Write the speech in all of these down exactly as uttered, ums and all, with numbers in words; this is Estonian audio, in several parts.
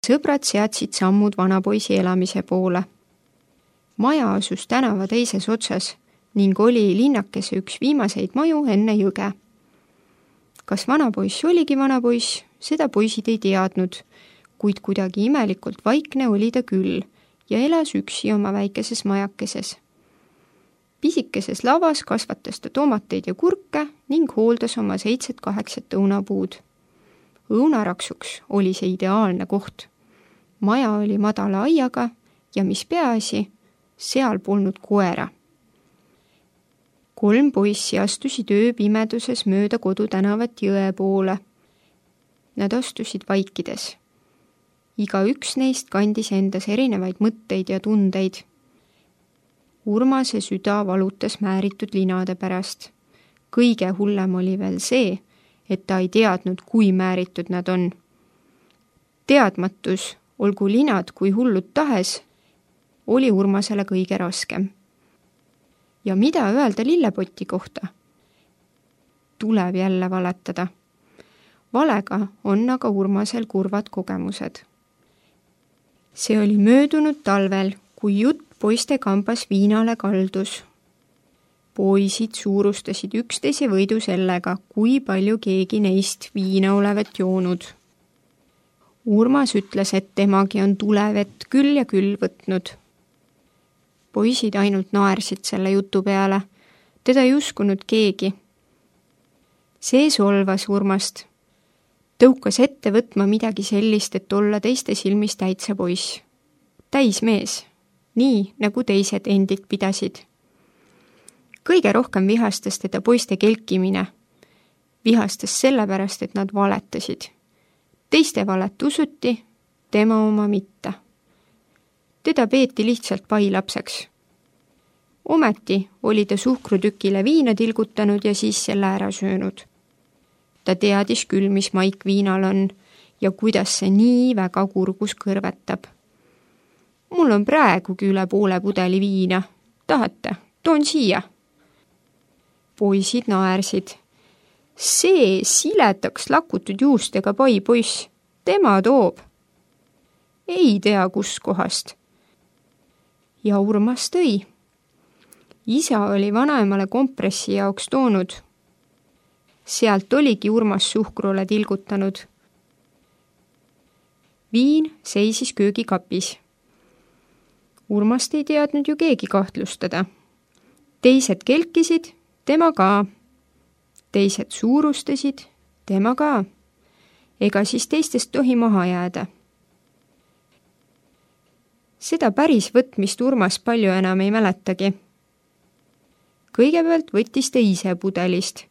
Sõbrad seadsid sammud vanapoisi elamise poole. Maja asus tänava teises otsas ning oli linnakese üks viimaseid maju enne jõge. Kas vanapoiss oligi vanapoiss, seda poisid ei teadnud, kuid kuidagi imelikult vaikne oli ta küll ja elas üksi oma väikeses majakeses. Pisikeses lavas kasvatas ta tomateid ja kurke ning hooldas oma seitset kaheksat õunapuud. Õunaraksuks oli see ideaalne koht. Maja oli madala aiaga ja mis peaasi, seal polnud koera. Kolm poissi astusid ööpimeduses mööda kodutänavat jõe poole. Nad astusid vaikides. Iga üks neist kandis endas erinevaid mõtteid ja tundeid. Urmase süda valutas määritud linade pärast. Kõige hullem oli veel see, et ta ei teadnud, kui määritud nad on. Teadmatus, olgu linad kui hullud tahes, oli Urmasele kõige raskem. Ja mida öelda lillepoti kohta? Tuleb jälle valetada. Valega on aga Urmasel kurvad kogemused. See oli möödunud talvel, kui jutt poiste kambas viinale kaldus. Poisid suurustasid üksteise võidu sellega, kui palju keegi neist viina olevat joonud. Urmas ütles, et temagi on tulevett küll ja küll võtnud. Poisid ainult naersid selle jutu peale. Teda ei uskunud keegi. See solvas Urmast. Tõukas ette võtma midagi sellist, et olla teiste silmis täitsa poiss. Täis mees, nii nagu teised endid pidasid. Kõige rohkem vihastas teda poiste kelkimine. Vihastas sellepärast, et nad valetasid. Teiste valet usuti, tema oma mitte. Teda peeti lihtsalt pailapseks. Ometi oli ta suhkrutükile viina tilgutanud ja siis selle ära söönud. Ta teadis küll, mis maik viinal on ja kuidas see nii väga kurgus kõrvetab. Mul on praegugi üle poole pudeli viina. Tahate? Toon siia. Poisid naersid. See siletaks lakutud juustega pai poiss. Tema toob. Ei tea kus kohast. Ja Urmas tõi. Isa oli vanaemale kompressi jaoks toonud. Sealt oligi Urmas suhkrule tilgutanud. Viin seisis köögikapis. Urmast ei teadnud ju keegi kahtlustada. Teised kelkisid, tema ka. Teised suurustasid, tema ka. Ega siis teistest tohi maha jääda. Seda päris võtmist Urmas palju enam ei mäletagi. Kõigepealt võttis ta ise pudelist.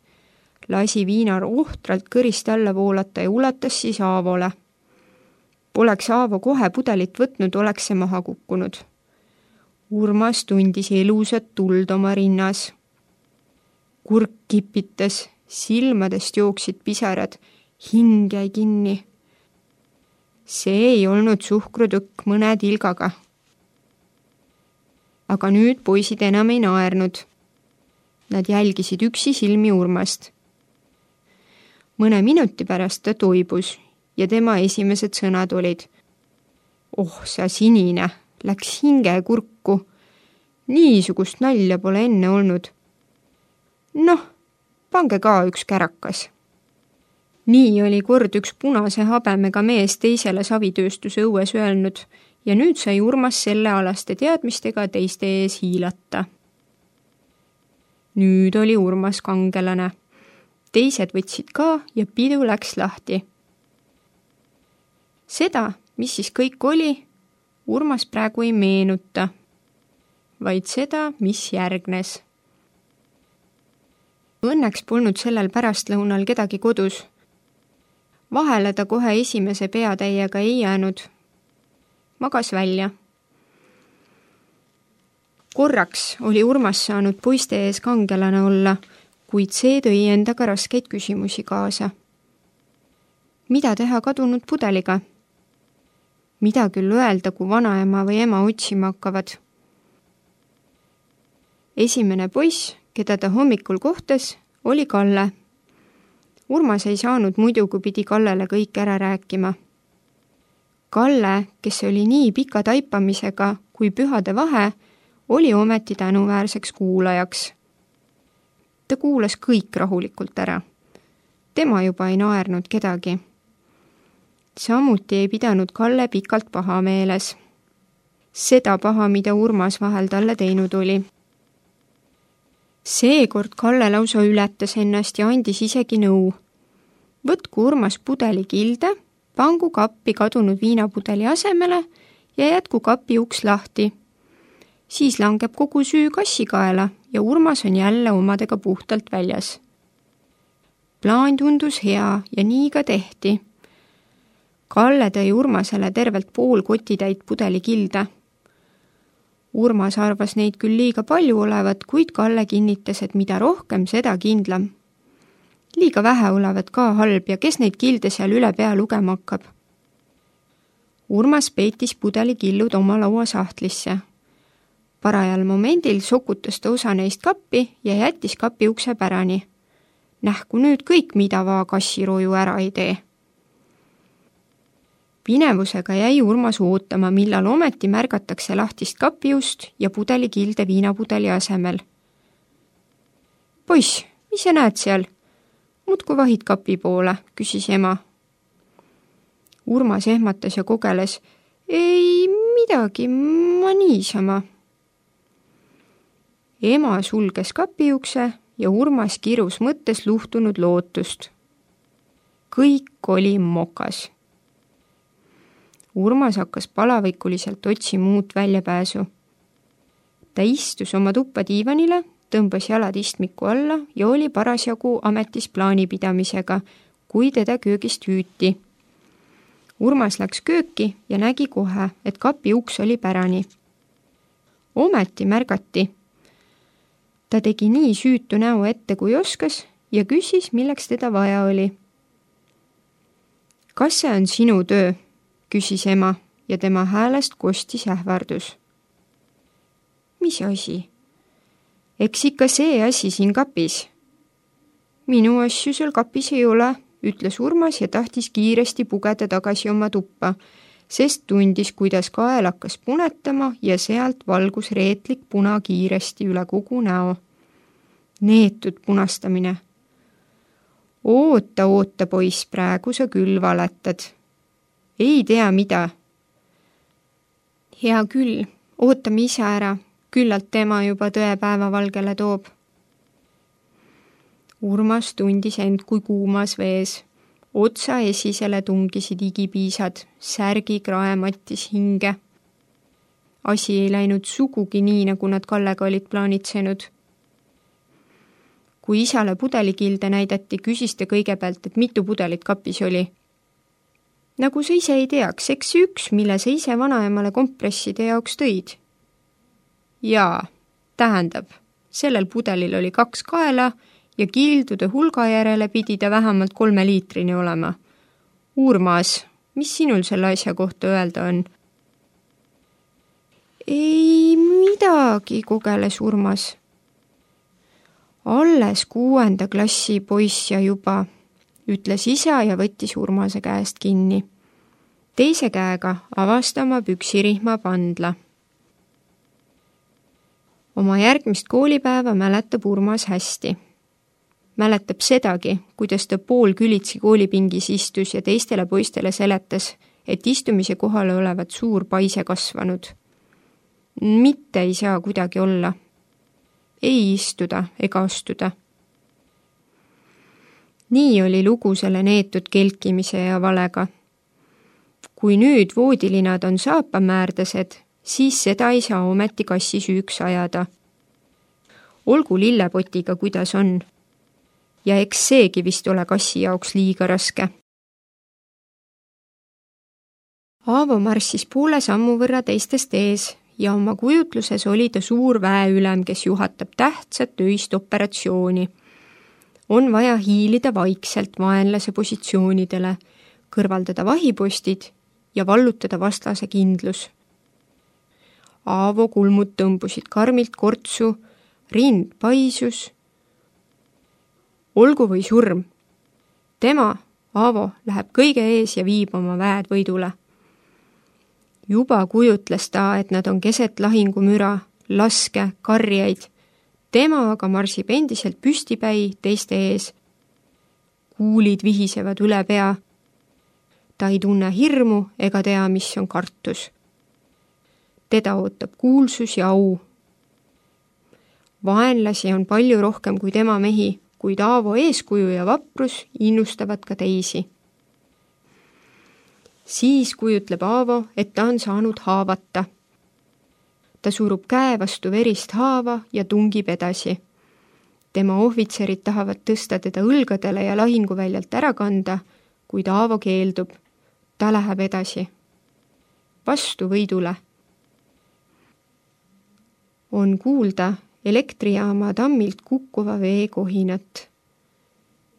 Lasi viinar ohtralt kõrist alla voolata ja ulatas siis Aavole. Poleks Aavo kohe pudelit võtnud, oleks see maha kukkunud. Urmas tundis elusat tuld oma rinnas. Kurk kipitas, silmadest jooksid pisarad, hing jäi kinni. See ei olnud suhkrutükk mõne tilgaga. Aga nüüd poisid enam ei naernud. Nad jälgisid üksi silmi Urmast. Mõne minuti pärast ta toibus ja tema esimesed sõnad olid: Oh, sa sinine, läks hinge kurku. Niisugust nalja pole enne olnud. Noh, pange ka üks kärakas. Nii oli kord üks punase habemega mees teisele savitööstuse õues öelnud ja nüüd sai Urmas selle alaste teadmistega teiste ees hiilata. Nüüd oli Urmas kangelane. Teised võtsid ka ja pidu läks lahti. Seda, mis siis kõik oli, Urmas praegu ei meenuta, vaid seda, mis järgnes. Õnneks polnud sellel pärastlõunal kedagi kodus. Vahele ta kohe esimese peatäiega ei jäänud. Magas välja. Korraks oli Urmas saanud poiste ees kangelane olla, kuid see tõi endaga raskeid küsimusi kaasa. Mida teha kadunud pudeliga? Mida küll öelda, kui vanaema või ema otsima hakkavad? Esimene poiss, keda ta hommikul kohtas, oli Kalle. Urmas ei saanud muidu, kui pidi Kallele kõik ära rääkima. Kalle, kes oli nii pika taipamisega kui pühade vahe, oli ometi tänuväärseks kuulajaks. Ta kuulas kõik rahulikult ära. Tema juba ei naernud kedagi. Samuti ei pidanud Kalle pikalt paha meeles. Seda paha, mida Urmas vahel talle teinud oli. Seekord Kalle lausa ületas ennast ja andis isegi nõu. Võtku Urmas pudeli kilde, pangu kappi kadunud viinapudeli asemele ja jätku kapi uks lahti. Siis langeb kogu süü kassikaela ja Urmas on jälle omadega puhtalt väljas. Plaan tundus hea ja nii ka tehti. Kalle tõi Urmasele tervelt pool kotitäit pudeli kilde. Urmas arvas neid küll liiga palju olevat, kuid Kalle kinnitas, et mida rohkem, seda kindlam. Liiga vähe olevat ka halb ja kes neid kilde seal üle pea lugema hakkab. Urmas peitis pudeli killud oma laua sahtlisse. Parajal momendil sokutas ta osa neist kappi ja jättis kapi ukse pärani. Nähku nüüd kõik, mida vaa kassiroju ära ei tee. Pinevusega jäi Urmas ootama, millal ometi märgatakse lahtist kapiust ja pudeli kilde viinapudeli asemel. Poiss, mis sa näed seal? Mutku vahid kapi poole, küsis ema. Urmas ehmatas ja kogeles. Ei midagi, ma niisama. Ema sulges kapi ukse ja Urmas kirus mõttes luhtunud lootust. Kõik oli mokas. Urmas hakkas palavikuliselt otsima uut väljapääsu. Ta istus oma tuppa diivanile, tõmbas jalad istmiku alla ja oli parasjagu ametis plaanipidamisega, kui teda köögist hüüti. Urmas läks kööki ja nägi kohe, et kapi uks oli pärani. Ometi märgati. Ta tegi nii süütu näo ette, kui oskas ja küsis, milleks teda vaja oli. Kas see on sinu töö? Küsis ema ja tema häälest kostis ähvardus. Mis asi? Eks ikka see asi siin kapis. Minu asju seal kapis ei ole, ütles Urmas ja tahtis kiiresti pugeda tagasi oma tuppa, sest tundis, kuidas kael hakkas punetama ja sealt valgus reetlik puna kiiresti üle kogu näo. Neetud punastamine. Oota, oota, poiss, praegu sa küll valetad. Ei tea mida. Hea küll, ootame ise ära, küllalt tema juba tõe päevavalgele toob. Urmas tundis end kui kuumas vees. Otsa esisele tungisid igipiisad, särgi krae mattis hinge. Asi ei läinud sugugi nii, nagu nad Kallega olid plaanitsenud. Kui isale pudelikilde näidati, küsis ta kõigepealt, et mitu pudelit kapis oli. Nagu sa ise ei teaks, eks see üks, mille sa ise vanaemale kompresside jaoks tõid. Jaa, tähendab, sellel pudelil oli kaks kaela ja kildude hulga järele pidi ta vähemalt kolme liitrini olema. Urmas, mis sinul selle asja kohta öelda on? Ei midagi, kogeles Urmas. Alles kuuenda klassi poiss ja juba, ütles isa ja võttis Urmase käest kinni. Teise käega avastama püksirihma pandla. Oma järgmist koolipäeva mäletab Urmas hästi. Mäletab sedagi, kuidas ta pool külitsi koolipingis istus ja teistele poistele seletas, et istumise kohale olevat suur paise kasvanud. Mitte ei saa kuidagi olla. Ei istuda ega astuda. Nii oli lugu selle neetud kelkimise ja valega. Kui nüüd voodilinad on saapamäärdased, siis seda ei saa ometi kassi süüks ajada. Olgu lillepotiga, kuidas on. Ja eks seegi vist ole kassi jaoks liiga raske. Aavo marssis poole sammu võrra teistest ees ja oma kujutluses oli ta suur väeülem, kes juhatab tähtsat öist operatsiooni. On vaja hiilida vaikselt vaenlase positsioonidele, kõrvaldada vahipostid ja vallutada vastase kindlus. Aavo kulmud tõmbusid karmilt kortsu, rind paisus. Olgu või surm. Tema, Aavo, läheb kõige ees ja viib oma väed võidule. Juba kujutles ta, et nad on keset lahingumüra, laske, karjaid. Tema aga marsib endiselt püstipäi teiste ees. Kuulid vihisevad üle pea. Ta ei tunne hirmu ega tea, mis on kartus. Teda ootab kuulsus ja au. Vaenlasi on palju rohkem kui tema mehi, kuid Aavo eeskuju ja vaprus innustavad ka teisi. Siis kujutleb Aavo, et ta on saanud haavata. Ta surub käe vastu verist haava ja tungib edasi. Tema ohvitserid tahavad tõsta teda õlgadele ja lahinguväljalt ära kanda, kuid Aavo keeldub. Ta läheb edasi. Vastu võidule. On kuulda elektrijaama tammilt kukkuva vee kohinat.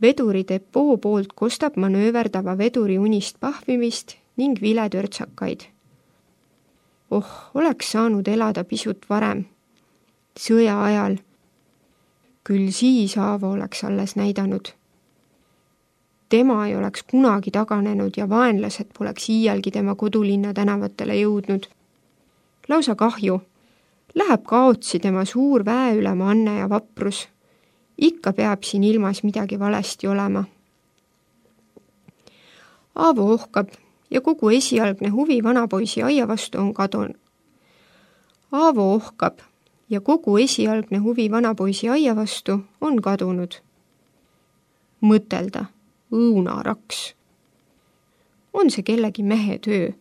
Veduri depoo poolt kostab manööverdava veduri unist pahvimist ning viletörtsakaid. Oh, oleks saanud elada pisut varem. Sõja ajal. Küll siis Aavo oleks alles näidanud. Tema ei oleks kunagi taganenud ja vaenlased poleks iialgi tema kodulinna tänavatele jõudnud. Lausa kahju. Läheb kaotsi tema suur väeülema anne ja vaprus. Ikka peab siin ilmas midagi valesti olema. Aavo ohkab ja kogu esialgne huvi vanapoisi aia vastu on kadun. Aavo ohkab ja kogu esialgne huvi vanapoisi aia vastu on kadunud. Mõtelda, õunaraks. On see kellegi mehe töö.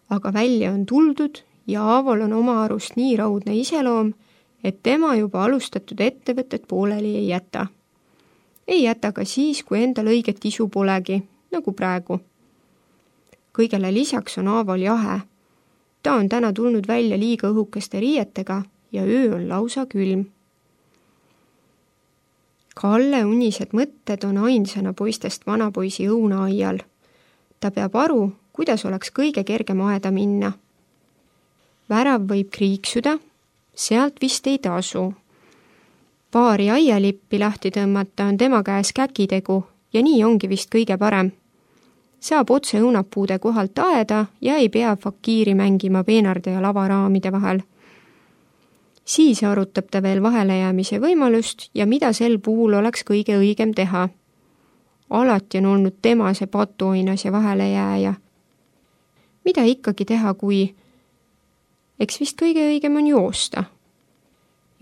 Aga välja on tuldud ja Aavol on oma arust nii raudne iseloom, et tema juba alustatud ettevõtet pooleli ei jäta. Ei jäta ka siis, kui endal õiget isu polegi, nagu praegu. Kõigele lisaks on Aavol jahe. Ta on täna tulnud välja liiga õhukeste riietega ja öö on lausa külm. Kalle unised mõtted on ainsana poistest vanapoisi õunaaial. Ta peab aru, kuidas oleks kõige kergem aeda minna. Värav võib kriiksuda, sealt vist ei tasu. Paari aialippi lahti tõmmata on tema käes käkitegu ja nii ongi vist kõige parem. Saab otse õunapuude kohalt aeda ja ei pea fakiiri mängima peenarde ja lavaraamide vahel. Siis arutab ta veel vahelejäämise võimalust ja mida sel puhul oleks kõige õigem teha. Alati on olnud tema see patuoinas ja vahelejääja. Mida ikkagi teha, kui eks vist kõige õigem on joosta.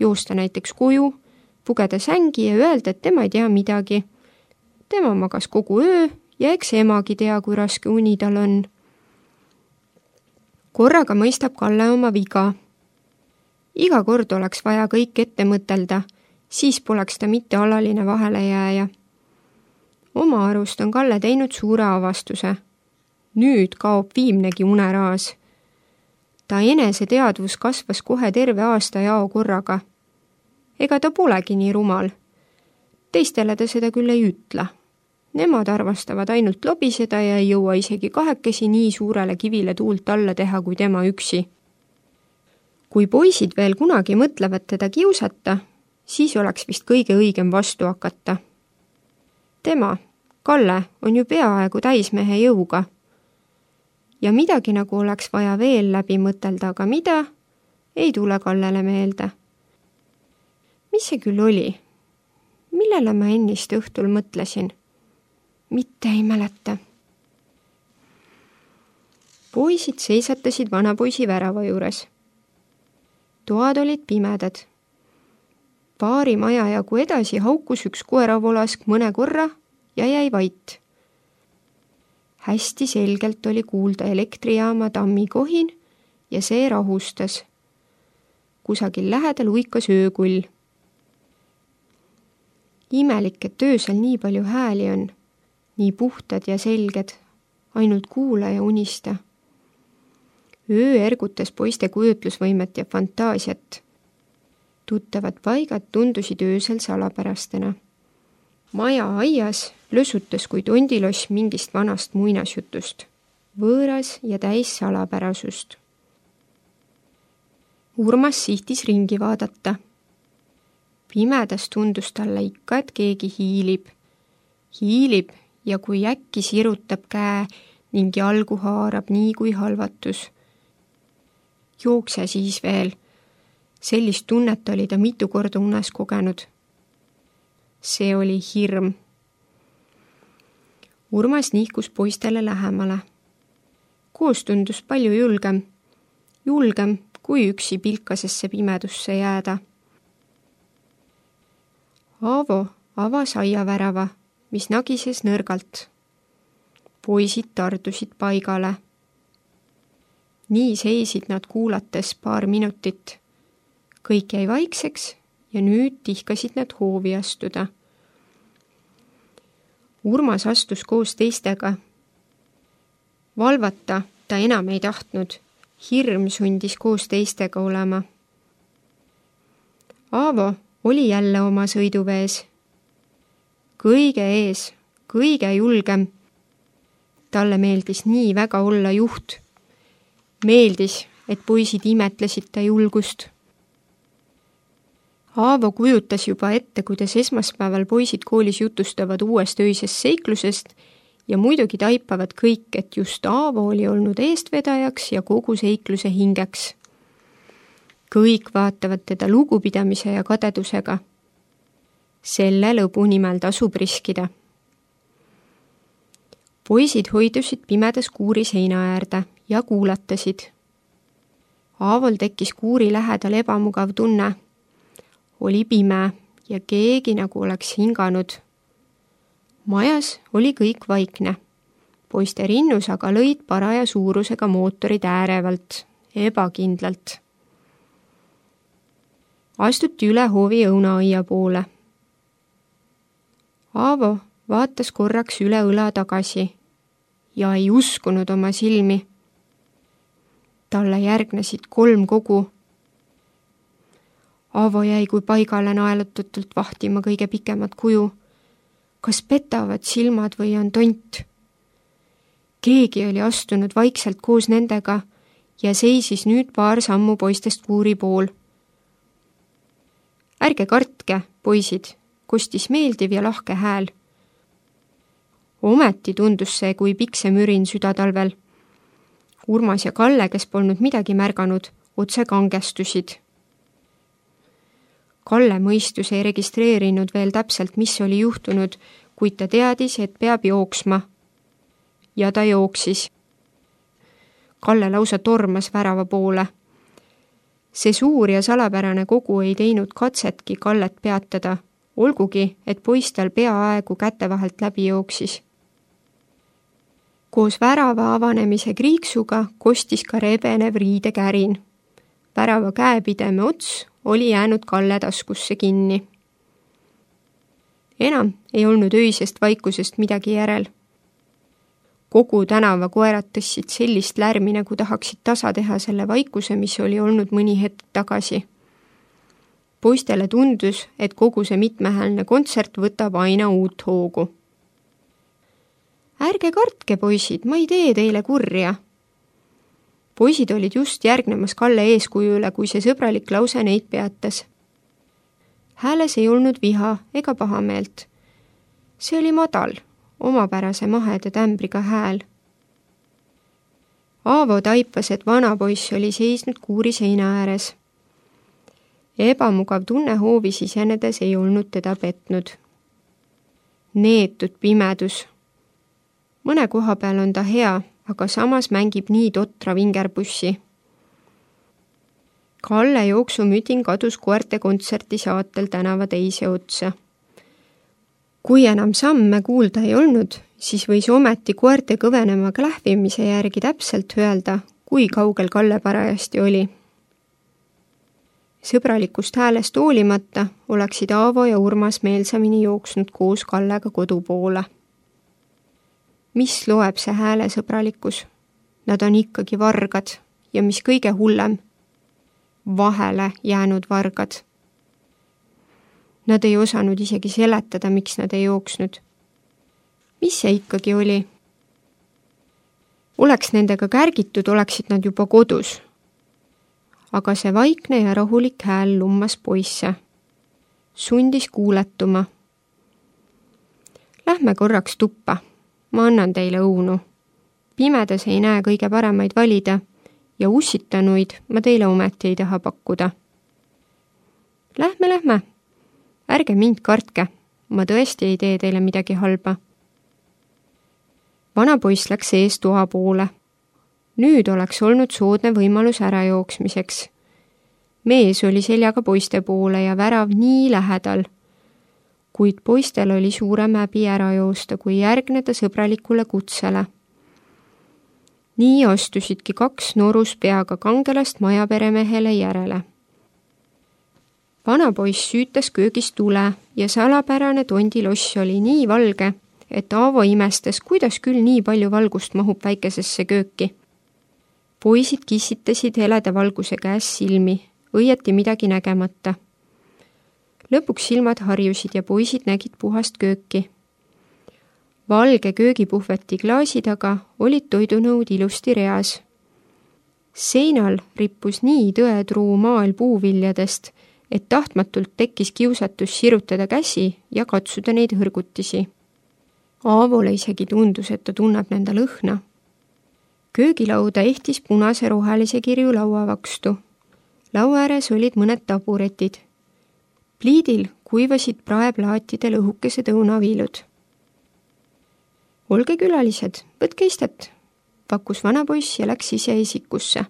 Joosta näiteks koju, pugeda sängi ja öelda, et tema ei tea midagi. Tema magas kogu öö ja eks emagi tea, kui raske uni tal on. Korraga mõistab Kalle oma viga. Iga kord oleks vaja kõik ette mõtelda, siis poleks ta mitte alaline vahelejääja. Oma arust on Kalle teinud suure avastuse. Nüüd kaob viimnegi uneraas. Ta enese teadvus kasvas kohe terve aasta jao korraga. Ega ta polegi nii rumal. Teistele ta seda küll ei ütle. Nemad arvastavad ainult lobiseda ja ei jõua isegi kahekesi nii suurele kivile tuult alla teha kui tema üksi. Kui poisid veel kunagi mõtlevad teda kiusata, siis oleks vist kõige õigem vastu hakata. Tema, Kalle, on ju peaaegu täismehe jõuga. Ja midagi nagu oleks vaja veel läbi mõtelda, aga mida, ei tule Kallele meelde. Mis see küll oli? Millele ma ennist õhtul mõtlesin? Mitte ei mäleta. Poisid seisatasid vanapoisi värava juures. Toad olid pimedad. Paari maja jagu edasi haukus üks koeravolask mõne korra ja jäi vait. Hästi selgelt oli kuulda elektrijaama tammi kohin ja see rahustas. Kusagil lähedal uikas öökull. Imelik, et öösel nii palju hääli on, nii puhtad ja selged, ainult kuula ja unista. Öö ergutas poiste kujutlusvõimet ja fantaasiat. Tuttavad paigad tundusid öösel salapärastena. Maja aias lösutas kui tondiloss mingist vanast muinasjutust, võõras ja täis salapärasust. Urmas sihtis ringi vaadata. Pimedas tundus talle ikka, et keegi hiilib. Hiilib ja kui äkki sirutab käe ning jalgu haarab nii kui halvatus. Jookse siis veel. Sellist tunnet oli ta mitu korda unes kogenud. See oli hirm. Urmas nihkus poistele lähemale. Koos tundus palju julgem. Julgem, kui üksi pilkasesse pimedusse jääda. Aavo avas aiavärava, mis nagises nõrgalt. Poisid tardusid paigale. Nii seisid nad kuulates paar minutit. Kõik jäi vaikseks ja nüüd tihkasid nad hoovi astuda. Urmas astus koos teistega. Valvata ta enam ei tahtnud. Hirm sundis koos teistega olema. Aavo oli jälle oma sõiduvees. Kõige ees, kõige julgem. Talle meeldis nii väga olla juht. Meeldis, et poisid imetlesid ta julgust. Aavo kujutas juba ette, kuidas esmaspäeval poisid koolis jutustavad uuest öisest seiklusest ja muidugi taipavad kõik, et just Aavo oli olnud eestvedajaks ja kogu seikluse hingeks. Kõik vaatavad teda lugupidamise ja kadedusega. Selle lõbu nimel tasub riskida. Poisid hoidusid pimedas kuuri seina äärde ja kuulatasid. Aavol tekkis kuuri lähedal ebamugav tunne. Oli pime ja keegi nagu oleks hinganud. Majas oli kõik vaikne. Poiste rinnus aga lõid paraja suurusega mootorid äärevalt, ebakindlalt. Astuti üle hoovi õunaaia poole. Aavo vaatas korraks üle õla tagasi ja ei uskunud oma silmi. Talle järgnesid kolm kogu. Aavo jäi kui paigale naelutatult vahtima kõige pikemat kuju. Kas petavad silmad või on tont? Keegi oli astunud vaikselt koos nendega ja seisis nüüd paar sammu poistest kuuri pool. Ärge kartke, poisid, kostis meeldiv ja lahke hääl. Ometi tundus see kui pikse mürin südatalvel. Urmas ja Kalle, kes polnud midagi märganud, otse kangestusid. Kalle mõistus ei registreerinud veel täpselt, mis oli juhtunud, kuid ta teadis, et peab jooksma. Ja ta jooksis. Kalle lausa tormas värava poole. See suur ja salapärane kogu ei teinud katsetki Kallet peatada, olgugi, et poiss tal peaaegu käte vahelt läbi jooksis. Koos värava avanemise kriiksuga kostis ka rebenev riidekärin. Värava käepideme ots oli jäänud Kalle taskusse kinni. Enam ei olnud öisest vaikusest midagi järel. Kogu tänava koerad tõssid sellist lärmi, nagu tahaksid tasa teha selle vaikuse, mis oli olnud mõni hetk tagasi. Poistele tundus, et kogu see mitmehäälne kontsert võtab aina uut hoogu. Ärge kartke, poisid, ma ei tee teile kurja. Poisid olid just järgnemas Kalle eeskujule, kui see sõbralik lause neid peatas. Hääles ei olnud viha ega pahameelt. See oli madal, omapärase mahede tämbriga hääl. Aavo taipas, et vana poiss oli seisnud kuuri seina ääres. Ebamugav tunne hoovi sisenedes ei olnud teda petnud. Neetud pimedus. Mõne koha peal on ta hea, aga samas mängib nii totra vingerpussi. Kalle jooksumüdin kadus koerte kontserti saatel tänava teise otsa. Kui enam samme kuulda ei olnud, siis võis ometi koerte kõvenema klähvimise järgi täpselt öelda, kui kaugel Kalle parajasti oli. Sõbralikust häälest hoolimata oleksid Aavo ja Urmas meelsamini jooksnud koos Kallega kodu poole. Mis loeb see hääle sõbralikkus? Nad on ikkagi vargad ja mis kõige hullem, vahele jäänud vargad. Nad ei osanud isegi seletada, miks nad ei jooksnud. Mis see ikkagi oli? Oleks nendega kärgitud, oleksid nad juba kodus. Aga see vaikne ja rahulik hääl lummas poisse. Sundis kuuletuma. Lähme korraks tuppa. Ma annan teile õunu. Pimedas ei näe kõige paremaid valida ja ussitanuid ma teile ometi ei taha pakkuda. Lähme, lähme. Ärge mind kartke. Ma tõesti ei tee teile midagi halba. Vana poiss läks ees toa poole. Nüüd oleks olnud soodne võimalus ära jooksmiseks. Mees oli seljaga poiste poole ja värav nii lähedal, kuid poistel oli suurem häbi ära joosta, kui järgneda sõbralikule kutsele. Nii astusidki kaks norus peaga kangelast majaperemehele järele. Vana poiss süütas köögis tule ja salapärane tondiloss oli nii valge, et Aavo imestas, kuidas küll nii palju valgust mahub väikesesse kööki. Poisid kissitasid heleda valguse käes silmi, õieti midagi nägemata. Lõpuks silmad harjusid ja poisid nägid puhast kööki. Valge köögipuhveti klaasi taga olid toidunõud ilusti reas. Seinal rippus nii tõetruu maal puuviljadest, et tahtmatult tekkis kiusatus sirutada käsi ja katsuda neid hõrgutisi. Aavole isegi tundus, et ta tunneb nende lõhna. Köögilauda ehtis punase rohelise kirju lauavakstu. Laua ääres olid mõned taburetid. Pliidil kuivasid praeplaatidel õhukesed õunaviilud. Olge külalised, võtke istet, pakkus vana poiss ja läks ise esikusse.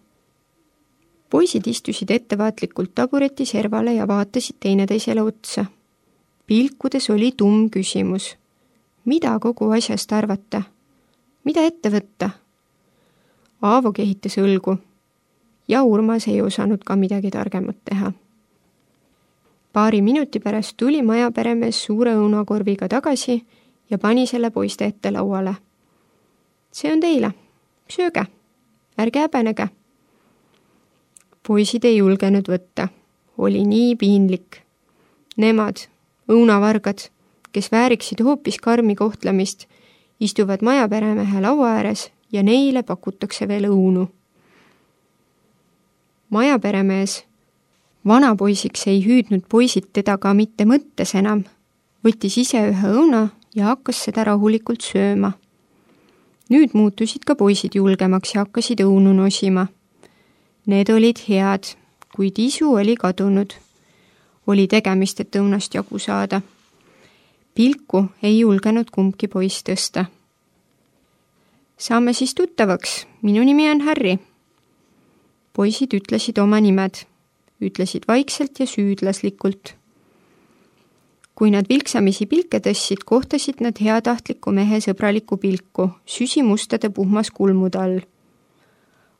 Poisid istusid ettevaatlikult tabureti servale ja vaatasid teineteisele otsa. Pilkudes oli tumm küsimus. Mida kogu asjast arvata? Mida ette võtta? Aavo kehitas õlgu ja Urmas ei osanud ka midagi targemat teha. Paari minuti pärast tuli majaperemees suure õunakorviga tagasi ja pani selle poiste ette lauale. See on teile. Sööge. Ärge häbenege. Poisid ei julgenud võtta. Oli nii piinlik. Nemad, õunavargad, kes vääriksid hoopis karmi kohtlemist, istuvad majaperemehe laua ääres ja neile pakutakse veel õunu. Majaperemees, vanapoisiks ei hüüdnud poisid teda ka mitte mõttes enam, võttis ise ühe õuna ja hakkas seda rahulikult sööma. Nüüd muutusid ka poisid julgemaks ja hakkasid õunu nosima. Need olid head, kuid isu oli kadunud. Oli tegemist, et õunast jagu saada. Pilku ei julgenud kumbki poiss tõsta. Saame siis tuttavaks. Minu nimi on Harry. Poisid ütlesid oma nimed. Ütlesid vaikselt ja süüdlaslikult. Kui nad vilksamisi pilke tõssid, kohtasid nad heatahtliku mehe sõbraliku pilku, süsimustade puhmas kulmude all.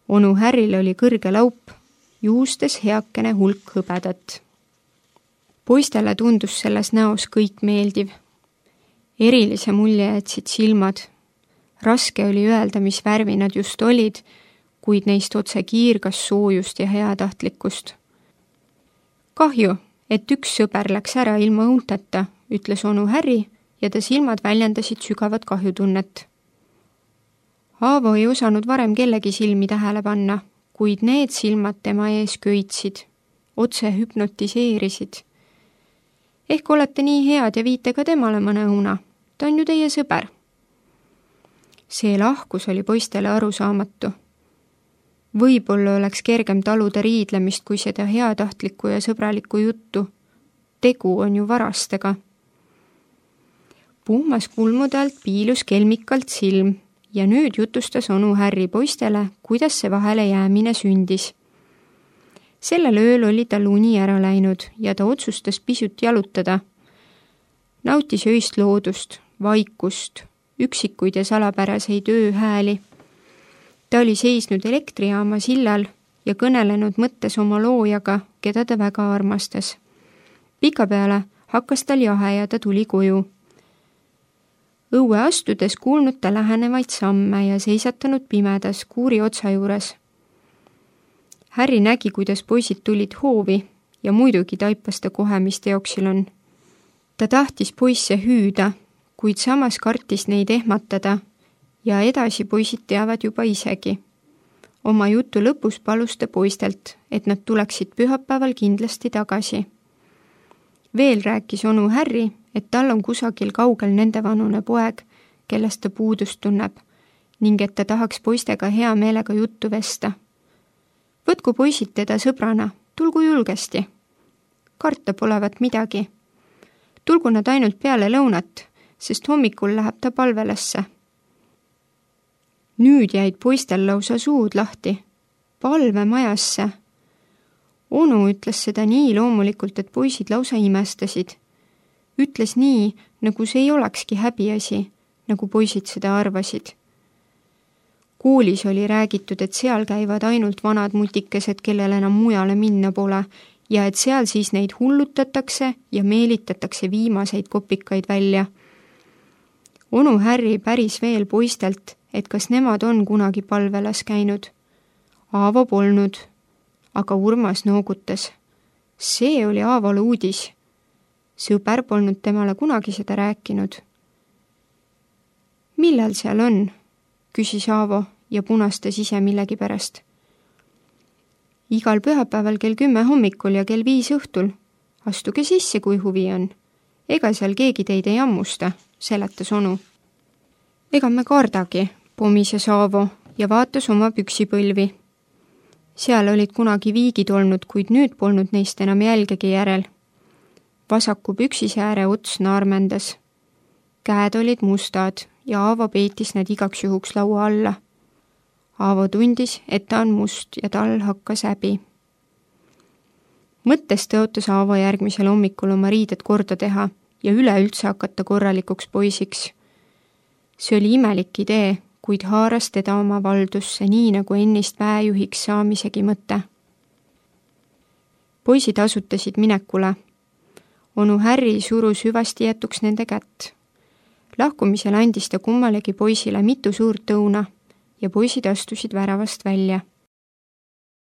Onu Harryl oli kõrge laup, juustes heakene hulk hõbedat. Poistele tundus selles näos kõik meeldiv. Erilise mulje jätsid silmad. Raske oli öelda, mis värvi nad just olid, kuid neist otse kiirgas soojust ja heatahtlikkust. Kahju, et üks sõber läks ära ilma õunteta, ütles onu Harry ja ta silmad väljendasid sügavat kahjutunnet. Aavo ei osanud varem kellegi silmi tähele panna, kuid need silmad tema ees köitsid, otse hüpnotiseerisid. Ehk olete nii head ja viite ka temale mõne õuna. Ta on ju teie sõber. See lahkus oli poistele arusaamatu. Võib-olla oleks kergem taluda riidlemist kui seda heatahtlikku ja sõbralikku juttu. Tegu on ju varastega. Puhmas kulmude alt piilus kelmikalt silm ja nüüd jutustas onu Harry poistele, kuidas see vahele jäämine sündis. Sellel ööl oli tal uni ära läinud ja ta otsustas pisut jalutada. Nautis öist loodust, vaikust, üksikuid ja salapäraseid ööhääli. Ta oli seisnud elektrijaama sillal ja kõnelenud mõttes oma loojaga, keda ta väga armastas. Pikapeale hakkas tal jahe ja ta tuli koju. Õue astudes kuulnud ta lähenevaid samme ja seisatanud pimedas kuuri otsa juures. Harry nägi, kuidas poisid tulid hoovi ja muidugi taipas ta kohe, mis teoksil on. Ta tahtis poisse hüüda, kuid samas kartis neid ehmatada ja edasi poisid teavad juba isegi. Oma jutu lõpus palus ta poistelt, et nad tuleksid pühapäeval kindlasti tagasi. Veel rääkis onu Harry, et tal on kusagil kaugel nende vanune poeg, kellest ta puudust tunneb, ning et ta tahaks poistega hea meelega juttu vesta. Võtku poisid teda sõbrana, tulgu julgesti. Karta polevat midagi. Tulgu nad ainult peale lõunat, sest hommikul läheb ta palvelesse. Nüüd jäid poistel lausa suud lahti. Palve majasse. Onu ütles seda nii loomulikult, et poisid lausa imestasid. Ütles nii, nagu see ei olekski häbiasi, nagu poisid seda arvasid. Koolis oli räägitud, et seal käivad ainult vanad mutikesed, kellel enam mujale minna pole, ja et seal siis neid hullutatakse ja meelitatakse viimaseid kopikaid välja. Onu Harry päris veel poistelt, et kas nemad on kunagi palvelas käinud. Aavo polnud, aga Urmas noogutas. See oli Aavole uudis. Sõber polnud temale kunagi seda rääkinud. Millal seal on? Küsis Aavo ja punastas ise millegi pärast. Igal pühapäeval kell kümme hommikul ja kell viis õhtul. Astuge sisse, kui huvi on. Ega seal keegi teid ei ammusta, seletas onu. Ega me kardagi, pomises Aavo ja vaatas oma püksipõlvi. Seal olid kunagi viigid olnud, kuid nüüd polnud neist enam jälgegi järel. Vasaku püksisääre ots naarmendas. Käed olid mustad ja Aavo peitis need igaks juhuks laua alla. Aavo tundis, et ta on must ja tal hakkas häbi. Mõttes tõotas Aavo järgmisel hommikul oma riided korda teha ja üleüldse hakata korralikuks poisiks. See oli imelik idee, kuid haaras teda oma valdusse nii nagu ennist väejuhiks saamisegi mõte. Poisid asutasid minekule. Onu Harry surus hüvasti jätuks nende kätt. Lahkumisel andis ta kummalegi poisile mitu suurt õuna ja poisid astusid väravast välja.